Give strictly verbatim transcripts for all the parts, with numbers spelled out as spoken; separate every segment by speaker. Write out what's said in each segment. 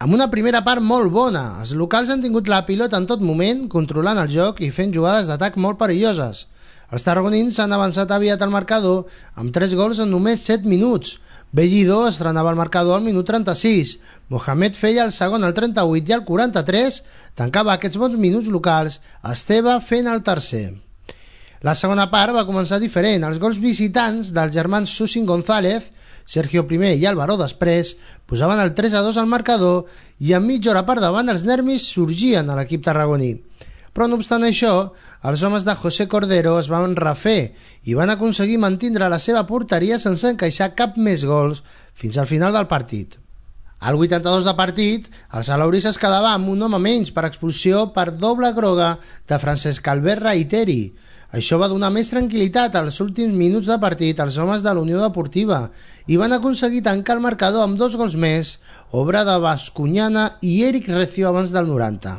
Speaker 1: Amb una primera part molt bona, els locals han tingut la pilota en tot moment, controlant el joc i fent jugades d'atac molt perilloses. Els tarragonins s'han avançat aviat al marcador amb tres gols en només set minuts. Bellido estrenava el marcador al minut trenta-sis, Mohamed feia el segon al trenta-vuit i al quaranta-tres tancava aquests bons minuts locals, Esteve fent el tercer. La segona part va començar diferent. Els gols visitants dels germans Susin González, Sergio primer i Álvaro després, posaven el tres a dos al marcador i en mitja hora per davant els nervis sorgien a l'equip tarragoní. Però no obstant això, els homes de José Cordero es van refer i van aconseguir mantindre la seva porteria sense encaixar cap més gols fins al final del partit. Al vuitanta-dos de partit, el Salauris es quedava amb un home menys per expulsió per doble groga de Francesc Albert Reiteri. Això va donar més tranquil·litat als últims minuts de partit als homes de la Unió Deportiva i van aconseguir tancar el marcador amb dos gols més, obra de Bascuñana i Eric Recio abans del noranta.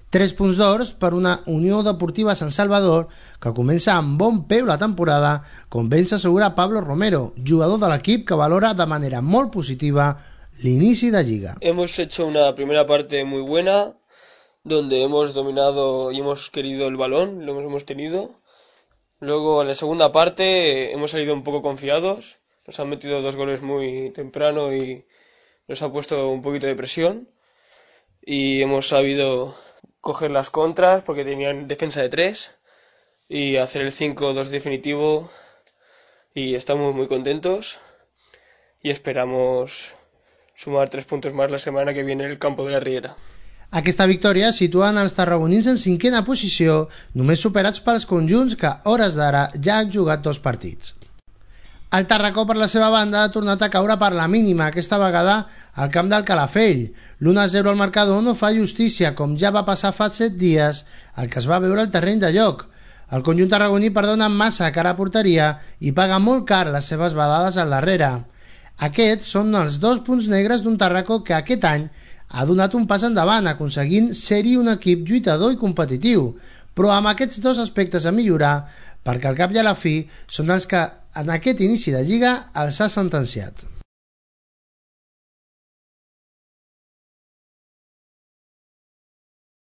Speaker 1: Tres punts d'or per una Unió Deportiva Sant Salvador que comença amb bon peu la temporada, com ben s'assegura Pablo Romero, jugador de l'equip que valora de manera molt positiva l'inici de Lliga.
Speaker 2: Hemos hecho una primera parte muy buena, donde hemos dominado y hemos querido el balón, lo hemos tenido. Luego en la segunda parte hemos salido un poco confiados, nos han metido dos goles muy temprano y nos ha puesto un poquito de presión y hemos sabido coger las contras porque tenían defensa de tres y hacer el cinco dos definitivo y estamos muy contentos y esperamos sumar tres puntos más la semana que viene en el campo de la Riera.
Speaker 1: Aquesta victòria situen els tarragonins en cinquena posició, només superats pels conjunts que, a hores d'ara, ja han jugat dos partits. El Tarracó, per la seva banda, ha tornat a caure per la mínima, aquesta vegada al camp del Calafell. l'u a zero al marcador no fa justícia, com ja va passar fa set dies, el que es va veure al terreny de joc. El conjunt tarragoní perdona massa cara a porteria i paga molt car les seves badades al darrere. Aquests són els dos punts negres d'un Tarracó que aquest any ha donat un pas endavant, aconseguint ser-hi un equip lluitador i competitiu, però amb aquests dos aspectes a millorar, perquè al cap i a la fi són els que en aquest inici de Lliga els ha sentenciat.